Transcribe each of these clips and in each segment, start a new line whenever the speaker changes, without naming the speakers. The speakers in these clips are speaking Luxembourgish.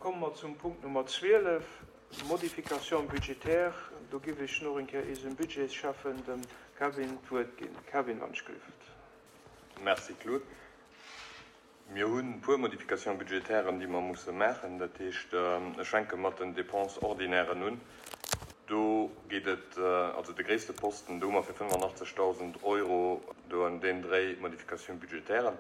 komme mer zum Punkt Nummer 12, Modification budgétaire. Do giff ech nach eng Kéier eisem Budgetschäffen, dem Kevin, d'Wuert ginn. Kevin, wann ech gelift.
Merci, Claude. Mir hunn e puer Modifications budgétairen, déi mer musse maachen. Dat heescht, ech fänke mat den Dépenses ordinairen un. Do geet et, also de gréisste Posten, do hu mer fir 85.000 Euro do an deem Dréi Modifications budgétairen.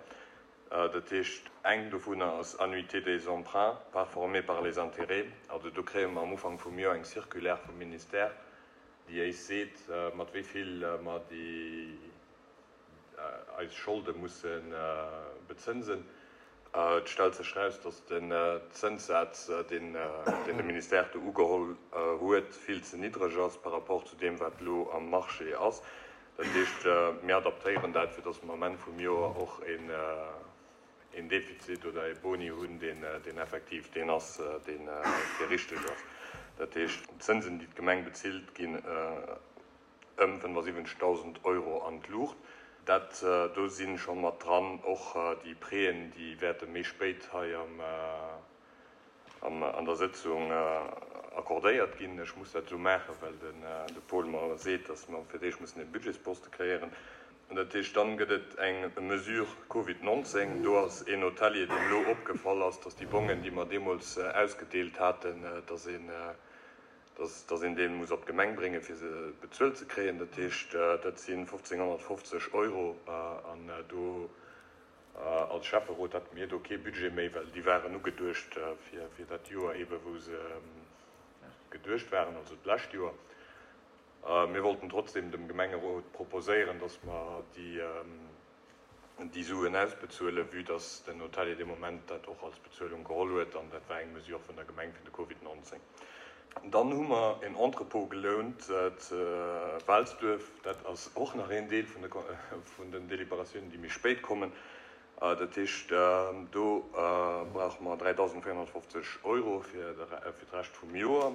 Dat heescht, eng dovunner ass Annuité des emprunts, part formée par les intérêts. Also do kréie mer am Ufank vum Joer eng Circulaire vum Ministère, déi éis seet, mat wéi vill mer déi, eis Scholde musse bezënsen. Et stellt sech eraus, datt den Zënssaz, deen de Ministère do ugeholl huet, vill ze niddreg ass par rapport zu deem, wat elo am Marché ass. Dat heescht, mir adaptéieren dat, fir datt mer am Enn vum Joer och een Defizit oder ee Boni hunn, deen effektiv deen ass, deen richteg ass. Dat heescht, d'Zënsen, déi d'Gemeng bezilt, ginn ëm 75.000 Euro an d'Luucht. Dat do si scho mat dran och déi Prêten, déi wäerte méi spéit hei an der Sëtzung accordéiert ginn. Ech muss dat esou maachen, well de Paul mer seet, datt mer fir d'éischt mussen e Budgetsposte kreéieren. Dat heescht, dann gëtt et eng Mesure Covid 19. Do ass een Hotelier, deem elo opgefall ass, datt déi Bongen, déi mer deemools ausgedeelt haten, datt een, dass een dee muss op d'Gemeng bréngen, fir se bezuelt ze kréien. Dat heescht, dat si 1.550 Euro. An do als Schäfferot hate mir do kee Budget méi, well déi waren ugeduecht fir dat Joer eebe wou se geduecht waren, also d'lescht Joer. Mir wollten trotzdem dem Gemengerot proposéieren, dass mer déi, déi Suen ausbezuelen, vue dass den Hotelier dee Moment dat och als Bezuelung geholl huet, an dat war eng Mesure vun der Gemeng fir de Covid 19. Dann hu mer en Entrepôt gelount ze Waalsduerf. Dat ass och nach een Deel vun den Deliberatiounen, déi méi spéit kommen. Dat heescht, do brauche mer 3.450 Euro fir d'Rescht vum Joer.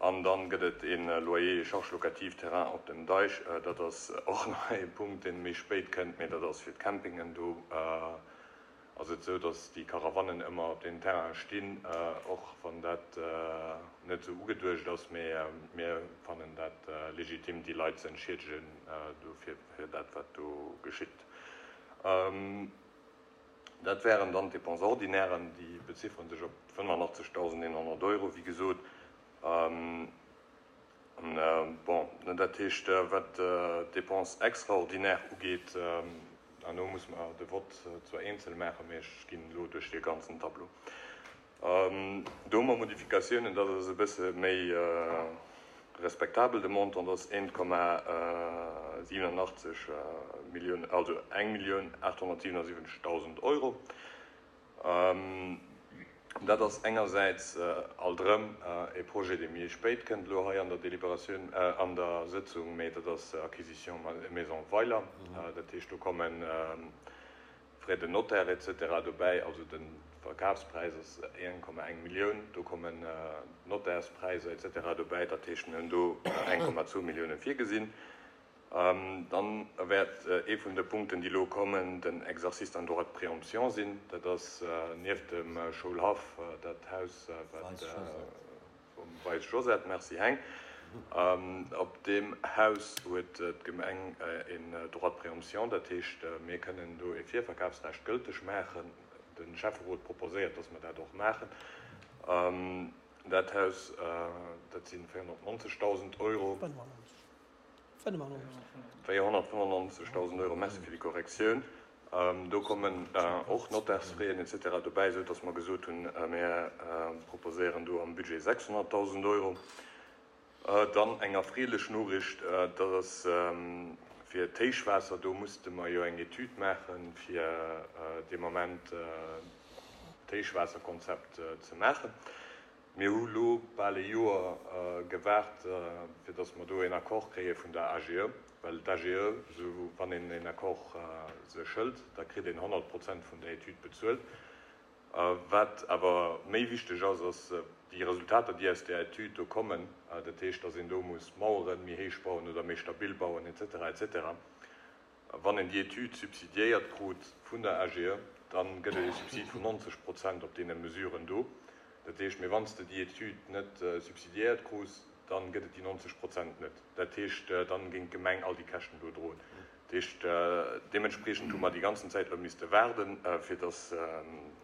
An dann gëtt et ee Loyer et charges locatives terrain op dem Deich. Dat ass och nach ee Punkt, dee méi spéit kënnt, mee dat ass fir d'Campingen. Do ass et esou, datt déi Caravanen ëmmer op deem Terrain stinn, och wann dat net esou ugeduecht ass. Mee mir fannen dat legitim, déi Leit ze entschiedegen dofir, fir dat, wat do geschitt. Dat wären dann d'Dépenses ordinairen, déi beziffere sech op 85.100 Euro, wéi gesot. Bon, dat heescht, wat d'Dépenses extraordinaires ugeet, herno musse mer de Vott zwar eenzel maachen, mee ech ginn elo duerch dee ganzen Tableau. Do hu mer Modifikatiounen, dat ass e bësse méi respektabel, de Montant ass 1,87 Millioun, also 1.877.000 Euro. Dat ass engersäits alt erëm e Projet, dee méi spéit kënnt elo hei an der Deliberatioun, an der Sëtzung, mee dat ass Acquisition Maison Weiler. Dat heescht, do kommen Frais de notaire etc. Dobäi, also de Verkafspräis ass 1,1 Millioun, do kommen d'Notärspräiser etc. Dobäi, dat heescht mir hunn do 1,2 Millioune virgesinn. Dann wäert ee vun de Punkten, déi elo kommen, den Exercice d'un droit de préemption sinn. Dat ass nieft dem Schoulhaff dat Haus, wat. Vum Weis Josette, Merci Heng. Op deem Haus huet d'Gemeng een Droit de préemption, dat heescht mir kënnen do ee Virverkafsrecht gëlteg maachen. De Schäfferot proposéiert, datt mer dat och maachen. Dat Haus, dat si 490.000 Euro. 495.000 Euro, merci fir déi Korrektioun. Do kommen och Notärsfraien et cetera dobäi, esou datt mer gesot hunn, mir proposéieren do am Budget 600.000 Euro. Dann eng erfreelech Noriicht, dat ass fir d'Héichwaasser. Do musste mer jo eng Etüd maachen, fir dee Moment d'Héichwaasserkonzept ze maachen. Mir hu lo bal e Joer gewaart, fir datt mer do een Accord kréie vun der AGE, well d'AGE, esou wann een een Accord sech hëlt, da kritt een 100 Prozent vun der Etüd bezuelt. Wat awer méi wichteg ass, ass déi Resultater, déi aus där Etüd do kommen, dat heescht, datt een do muss Mauere méi héich bauen oder méi stabil bauen, et cetera, et cetera. Wann een déi Etüd subsidiéiert krut vun der AGE, da gëtt et ee Subsid vun 90 Prozent op deene Mesuren do. Dat heescht, mee wann s de déi Etüd net subsidiéiert krus, dann gëtt et déi 90 Prozent net. Dat heescht, dann géing d'Gemeng all déi Käschten do droen. Dat heescht, deementspriechend hu mer déi ganzen Zäit elo misste waarden, fir dass,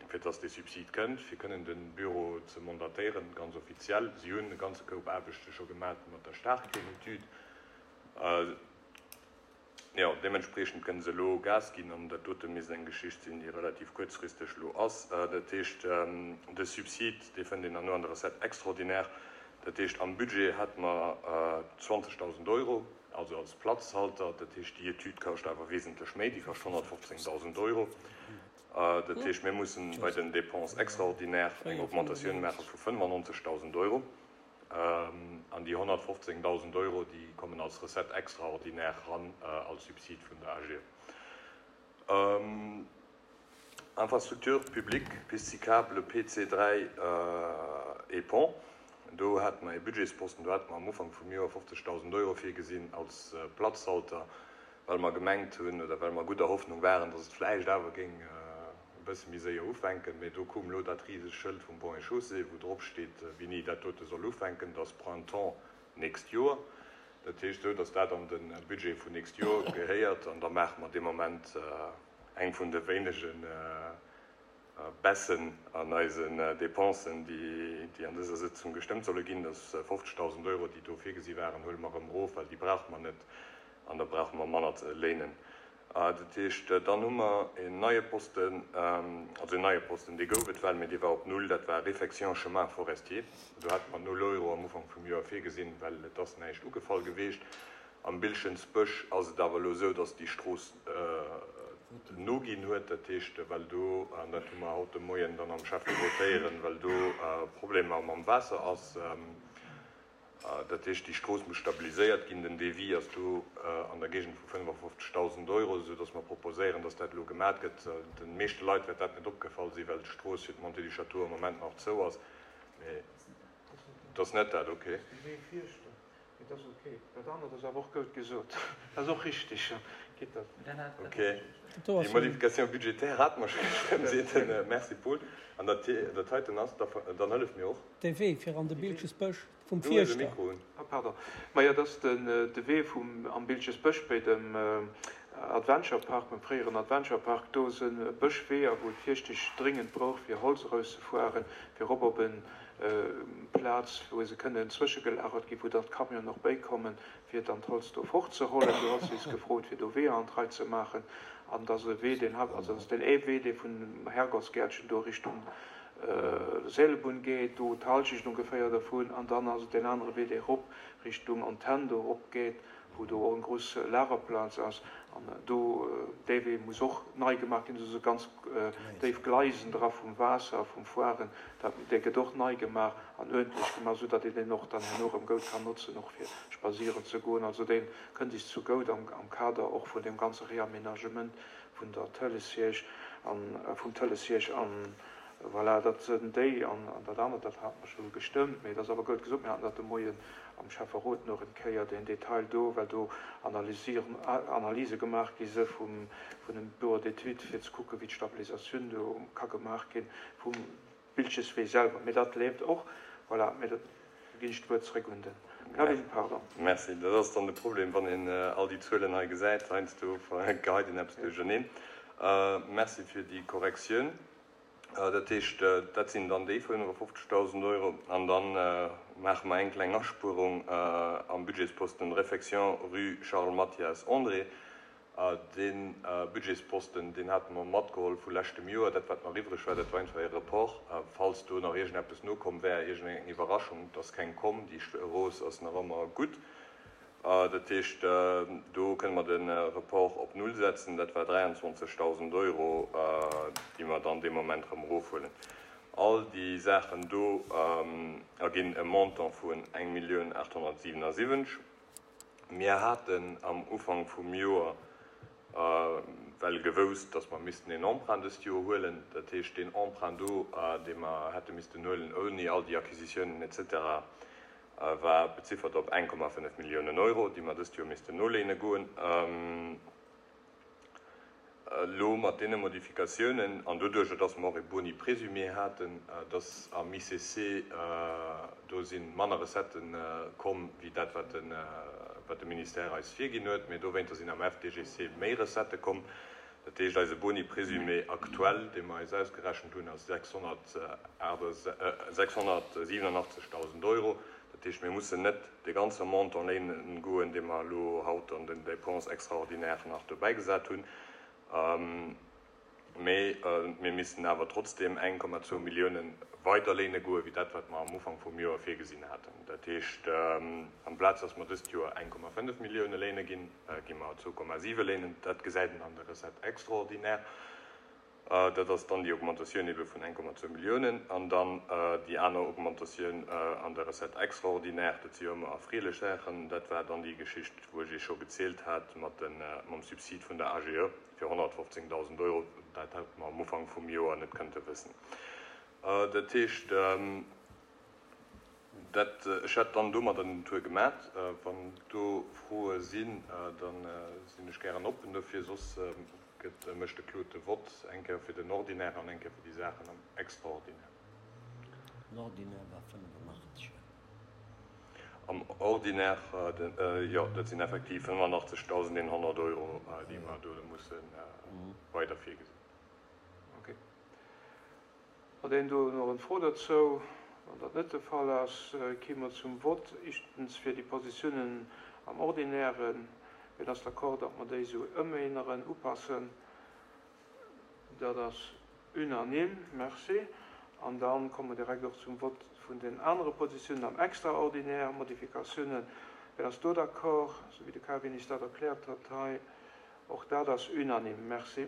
fir dass dee Subsid kënnt, fir kënnen de Büro ze mandatéieren, ganz offiziell. Si hunn e ganze Koup Aarbechte scho gemat mat der Staarkreenetüd. Jo, deementspriechend kënne se elo Gas ginn an dat dote misst eng Geschicht sinn, déi relativ kuerzfristeg elo ass. Dat heescht, de Subsid, dee fënnt een dann no an der Recette extraordinaire. Dat heescht, am Budget hate mer 20.000 Euro, also als Platzhalter. Dat heescht, déi Etüd kascht awer wesentlech méi, déi kascht 115.000 Euro. Dat heescht, mir mussen bei den Dépenses extraordinaires eng Augmentatioun maache vu 95.000 Euro. An déi 115.000 Euro, déi kommen als Recette extraordinaire eran, als Subsid vun der AGE. Infrastructures publiques, Piste cyclable, PC 3 et Pont. Do hate mer ee Budgetsposten, do hate mer am Ufank vum Joer 50.000 Euro virgesinn als Platzhalter, well mer gemengt hunn oder well mer gudder Hoffnung waren, dass et vläicht awer géing e bësse méi séier ufänken, mee do koum elo dat risegt Schëld vum Ponts et Chaussées, wou drop steet, wéini dat dote soll ufänken, dass Printemps nächst Joer. Dat heescht, esou dass dat an de Budget vun nächst Joer gehéiert, an da maache mer dee Moment eng vun de wéinege Baissen an eisen Dépensen, déi an dëser Sëtzung gestëmmt solle ginn, dass 50.000 Euro, déi do virgesi waren, huele mer erëm erof, well déi brauche mer net an da brauche mer manner ze léinen. Dat heescht, dann hu mer en neie Posten, also en neie Posten, dee gouf et well, mee dee war op Null, dat war Réfection chemins forestiers. Do hate mer null Euro am Ufank vum Joer virgesinn, well et ass näischt ugefall geweecht. Am Bilschensbësch ass et awer elo esou, dass déi Strooss noginn huet. Dat heescht, well do, an dat hu mer haut de Moien dann am Schäfferot héieren, well do Problemer mam Waasser ass, Dat heescht, déi Strooss muss stabiliséiert ginn. Den Devis ass do an der Géigend vu 55.000 Euro, esou datt mer proposéieren, datt dat elo gemat gëtt. De meeschte Leit wäert dat net opgefall sinn, well d'Strooss fir d'Montée du Château am Moment nach zou ass. Mee et ass net dat, okay.
Mee dat ass ok. Dat anert ass awer och goud gesot. Dat ass och richtig. Geet dat?
Ok. Déi Modification budgétaire hate mer scho gestëmmt, seet den. Merci Paul. An dat dat heiten ass, dann hëllef mir och.
De Wee fir an de Biltgesbësch vum Du hues e
Fierschter. Mikro un. Ah pardon. Majo, dat ass den de Wee vum am Biltgesbësch béi dem Adventure Park, beim fréieren Adventure Park. Do se Bëschweeër, wou d'Fierschtesch dringend brauch fir Holz erauszefuaren, fir erop op en Plaz, wou se kënnen zwëschegelagert ginn, wou dann d'Camionen och bäikommen, fir dann d'Holz do fortzehollen. Do ass is gefrot, fir do Weeër an d'Rei ze maachen. An et ass e Wee, deen hat, also et ass deen ee Wee, dee vun Herrgottsgäertchen do Richtung Seelbunn geet, do d'Halschecht ongeféier dervun. An dann ass et deen anere Wee, dee erop Richtung Antenn do erop geet, wou do och eng grouss Lagerplaz ass, an do, dee Wee muss och nei gemaach ginn, do si ganz déif Gleisen dra vum Waasser, vum Foiren, dat, dee gëtt och nei gemaach an uerdentlech gemaach, esou datt een deen och dann herno erëm goud kann notzen, och fir spadséieren ze goen. Also dee kënnt is zu goud am, am Kader och vun deem ganze Réaménagement vun der Tëlessiège an, vum Tëlessiège an, Voilà, dat sënn déi. An dat anert, dat hate mer scho gestëmmt, mee et ass awer goud gesot, mir haten dat de Moien am Schäfferot nach en Kéier, deen Detail do, well do Analysieren, Analyse gemaach gi se vum, vun dem Bureau d'études, fir ze kucken, wéi d'Stabilisatioun do ka gemaach ginn vum Biltgeswee selwer. Mee dat leeft och. Voilà, mee dat ginn ech d'Wuert zréck un de Kevin, pardon.
Merci. Dat ass dann de Problem, wann een all déi Zuelen hei gesäit. Heiansdo geheit een eppes duercherneen. Merci fir déi Korrektioun. Dat heescht, dat sinn dann déi 55.000 Euro. An da maache mer eng kleng Aspuerung am Budgetsposten Réfection rue Charles Mathias André. Dee Budgetsposten, deen hate mer matgeholl vu leschtem Joer. Dat, wat nach iwwreg war, dat war einfach e Report, falls do nach iergendeppes nokomm wär, iergendeng Iwwerraschung. Et ass keng komm. Déi Strooss ass nach ëmmer gutt. Dat heescht, do kënne mer de Report op Null setzen. Dat war 23.000 Euro, déi mer dann dee Moment erëm erofhuelen. All déi Saachen do erginn e Montant vun 1.877. Mir haten am Ufank vum Joer well gewousst, datt mer missten een Emprunt dëst Joer huelen. Dat heescht, deen Emprunt do, dee mer hätte missten huelen, ouni all déi Acquisitiounen et cetera, war beziffert op 1,5 Milliounen Euro, déi mer dëst Joer missten noléine goen. Elo mat deene Modifikatiounen an doduerjer, dass mer och e Boni présumé haten, dass am ICC do si manner Recettë komm wéi dat, wat de Ministère eis virginn huet, mee dowéinter sinn am FDGC méi Recettë komm. Dat heescht, eise Boni présumé aktuell, dee mer eis ausgerechent hunn, ass 687.000 Euro. Dat heescht, mir mussen net dee ganze Montant léinen goen, dee mer elo haut an den Dépenses extraordinaires nach dobäigesat hunn, mee mir missten awer trotzdeem 1,2 Milliounen weider léine goen, wéi dat, wat mer am Ufank vum Joer virgesinn haten. Dat heescht, amplaz dass mer dëst Joer 1,5 Millioune léine ginn, gi mer 2,7 léinen. Dat gesäit een an der Recette extraordinaire. Dat ass dann déi Augmentatioun ebe vun 1,2 Milliounen. An dann déi aner Augmentatioun an der Recette extraordinaire, dat si jo ëmmer erfreelech Saachen, dat war dann déi Geschicht, wou ech Iech scho gezielt hat mat de, mam Subsid vun der AGE fir 115.000 Euro. Dat hätte mer am Ufank vum Joer net kënnte wëssen. Dat heescht, dat, ech hätt dann domadder den Tour gemat. Wann do Froe sinn, da sinn ech gären oppen dofir. Soss Gëtt, mécht de Claude de Vott, eng Kéier fir den Ordinaire an eng Kéier fir déi Saachen am Extraordinaire.
Den Ordinaire war 85.
Am Ordinaire, jo, dat sinn effektiv 85.100 Euro, déi mer do musse weider virgesinn.
Okay. Hat een do nach en Fro dozou? Wann dat net de Fall ass, gi mer zum Vott. Éischtens fir déi Positiounen am Ordinären. Wien ass d'accord, datt mer déi esou ëménneren, upassen? Dat ass unanime. Merci. An da komme mer direkt och zum Vott vun den anere Positiounen am Extraordinaire, Modifikatiounen. Wien ass do d'accord, esou wéi de Kevin is dat erkläert hat hei? Och dat ass unanime. Merci.